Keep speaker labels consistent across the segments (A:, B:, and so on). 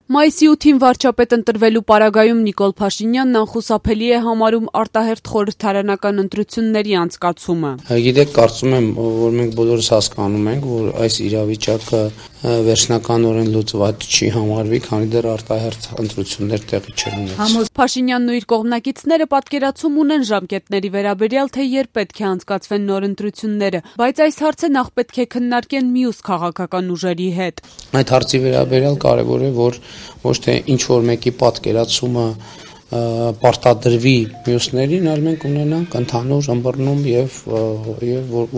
A: Մայիսի 8-ին վարչապետ ընտրվելու պարագայում Նիկոլ Փաշինյանն անխուսափելի է համարում արտահերթ խորհրդարանական ընտրությունների անցկացումը։
B: Գիտեք, կարծում եմ, որ մենք բոլորս հասկանում ենք, որ այս իրավիճակը վերջնականորեն լուծված չի համարվի, քանի դեռ արտահերթ ընտրություններ տեղի չեն ունեցել։
A: Փաշինյանն ու իր կողմնակիցները պատկերացում ունեն ժամկետների վերաբերյալ, թե երբ պետք է անցկացվեն նոր ընտրությունները, բայց այս հարցը նախ պետք է քննարկեն մյուս քաղաքական ուժերի հետ։
B: Այդ հարցի վերաբերյալ կարևոր է, որ ոչ թե ինչ-որ մեկի պատկերացումը պարտադրվի մյուսներին, այլ մենք ունենանք ընդհանուր ըմբռնում եւ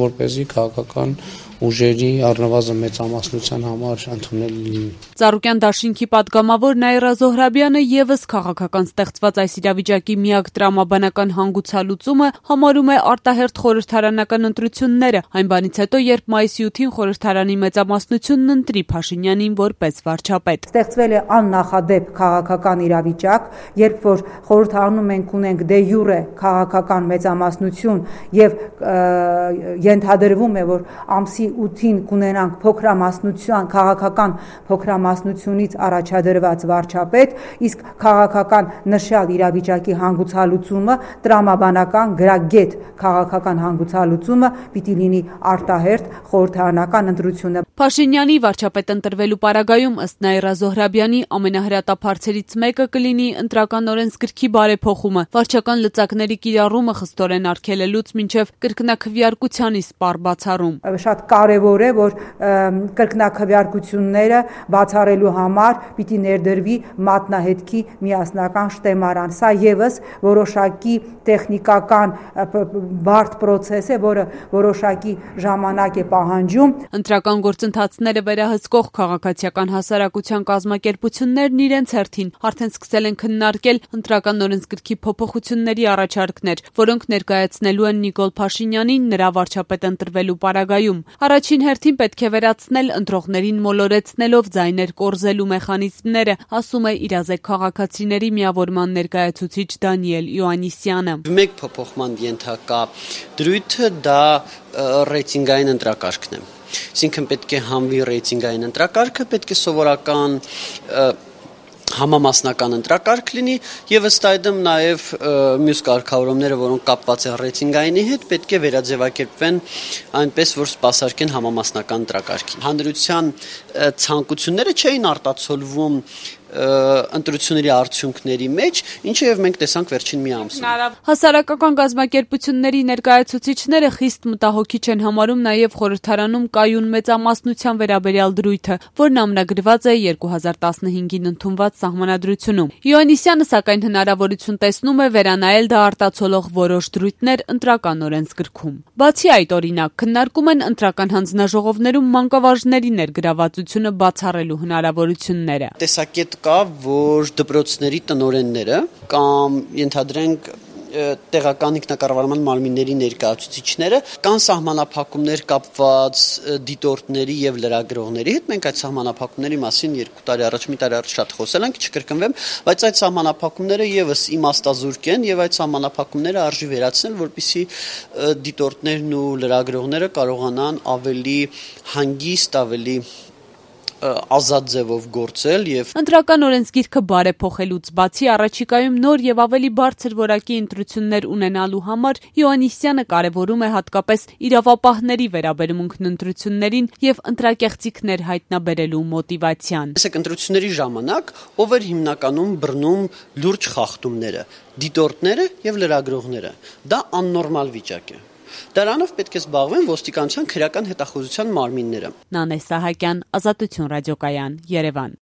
B: որպեսզի քաղաքական ուժերի առնվազն մեծամասնության համար ընդունելի լինի։
A: Ծառուկյան դաշինքի падգամավոր Նաիրա Զոհրաբյանը եւս քաղաքական ստեղծված այս իրավիճակի միակ տրամաբանական հանգուցալուծումը համարում է արտահերթ խորհրդարանական ընտրությունները, այն բանից հետո, երբ մայիսի 8-ին խորհրդարանի մեծամասնությունն ընտրի Փաշինյանին որպես վարչապետ։
C: Ստեղծվել է աննախադեպ քաղաքական իրավիճակ, երբ որ խորհրդարանում մենք ունենք դե յուրե քաղաքական մեծամասնություն եւ ենթադրվում է, որ ամսի 8-ին կունենանք փոքրամասնության քաղաքական փոքրամասնությունից առաջադրված վարչապետ, իսկ քաղաքական նշյալ իրավիճակի հանգուցալուծումը տրամաբանական գրագետ քաղաքական հանգուցալուծումը պիտի լինի արտահերթ խորհրդարանական ընտրությունը։
A: Փաշինյանի վարչապետ ընտրվելու պարագայում ըստ Նաիրա Զոհրաբյանի ամենահրատապ հարցերից մեկը կլինի ընտրական օրենսգրքի բարեփոխումը, վարչական լծակների կիրառումը խստորեն արգելելուց մինչև կրկնակվյարկության իսպառ բացառում։
C: Շատ կարևոր է, որ կրկնակվյարկությունները բացառելու համար պիտի ներդրվի մատնահետքի միասնական շտեմարան։ Սա եւս որոշակի տեխնիկական բարդ պրոցես է, որը որոշակի ժամանակ է պահանջում։
A: Ընտրական գործընթացները վերահսկող քաղաքացիական հասարակության կազմակերպություններն իրենց հերթին արդեն սկսել են քննարկել ընտրական օրենսգրքի փոփոխությունների առաջարկներ, որոնք ներկայացնելու են Նիկոլ Փաշինյանին նրա վարչապետ ընտրվելու պարագայում։ Առաջին հերթին պետք է վերացնել ընտրողներին մոլորեցնելով ձայներ կորզելու մեխանիզմները, ասում է իրազեկ քաղաքացիների միավորման ներկայացուցիչ Դանիել Իոաննիսյանը։
D: Մեկ փոփոխման ենթակա դրույթը դա ռեյտինգային ընտրակարգն է։ Այսինքն պետք է հանվի ռեյտինգային ընտրակարգը, պետք է սովորական համամասնական ընտրակարգ լինի եւ ըստ այդմ նաեւ մյուս կարգավորումները, որոնք կապված են ռեյտինգայինի հետ, պետք է վերաձևակերպվեն այնպես, որ սպասարկեն համամասնական ընտրակարգին։ Հանրության ցանկությունները չէին արտացոլվում ընտրությունների արդյունքների մեջ, ինչը եւ մենք տեսանք վերջին մի ամսում։
A: Հասարակական կազմակերպությունների ներկայացուցիչները խիստ մտահոգիչ են համարում նաեւ խորհրդարանում կայուն մեծամասնության վերաբերյալ դրույթը, որն ամնագրված է 2015-ին ընդունված սահմանադրությունում։ Իոաննիսյանը սակայն հնարավորություն տեսնում է վերանայել դա արտացոլող որոշ դրույթներ ընտրական օրենսգրքում։ Բացի այդ, օրինակ, քննարկում են ընտրական հանձնաժողովներում մանկավարժների ներգրավվածությունը բացառելու հնարավորությունները։
D: Տեսակետ կա, որ դպրոցների տնօրենները կամ ենթադրենք տեղական ինքնակառավարման մարմինների ներկայացուցիչները կան սահմանափակումներ կապված դիտորդների եւ լրագրողների հետ։ Մենք այդ սահմանափակումների մասին 2 տարի առաջ, մի տարի առաջ շատ խոսել ենք, չկրկնվեմ, բայց այդ սահմանափակումները եւս իմաստազուրկ են եւ այդ սահմանափակումները արժի վերացնել, որպեսզի դիտորդներն ու լրագրողները կարողանան ավելի հանգիստ, ավելի ազատ ձևով գործել եւ
A: ընտրական օրենսգիրքը բարեփոխելուց բացի առաջիկայում նոր եւ ավելի բարձր որակի ընտրություններ ունենալու համար Իոաննիսյանը կարևորում է հատկապես իրավապահների վերաբերմունքն ընտրություններին եւ ընտրակեղծիքներ հայտնաբերելու մոտիվացիան։
D: Այսինքն ընտրությունների ժամանակ ով էր հիմնականում բռնում լուրջ խախտումները, դիտորդները եւ լրագրողները։ Դա աննորմալ վիճակ է։ Դրանով պետք է զբաղվեն ոստիկանության քրեական հետախուզության մարմինները։
A: Նանե Սահակյան, Ազատություն ռադիոկայան, Երևան։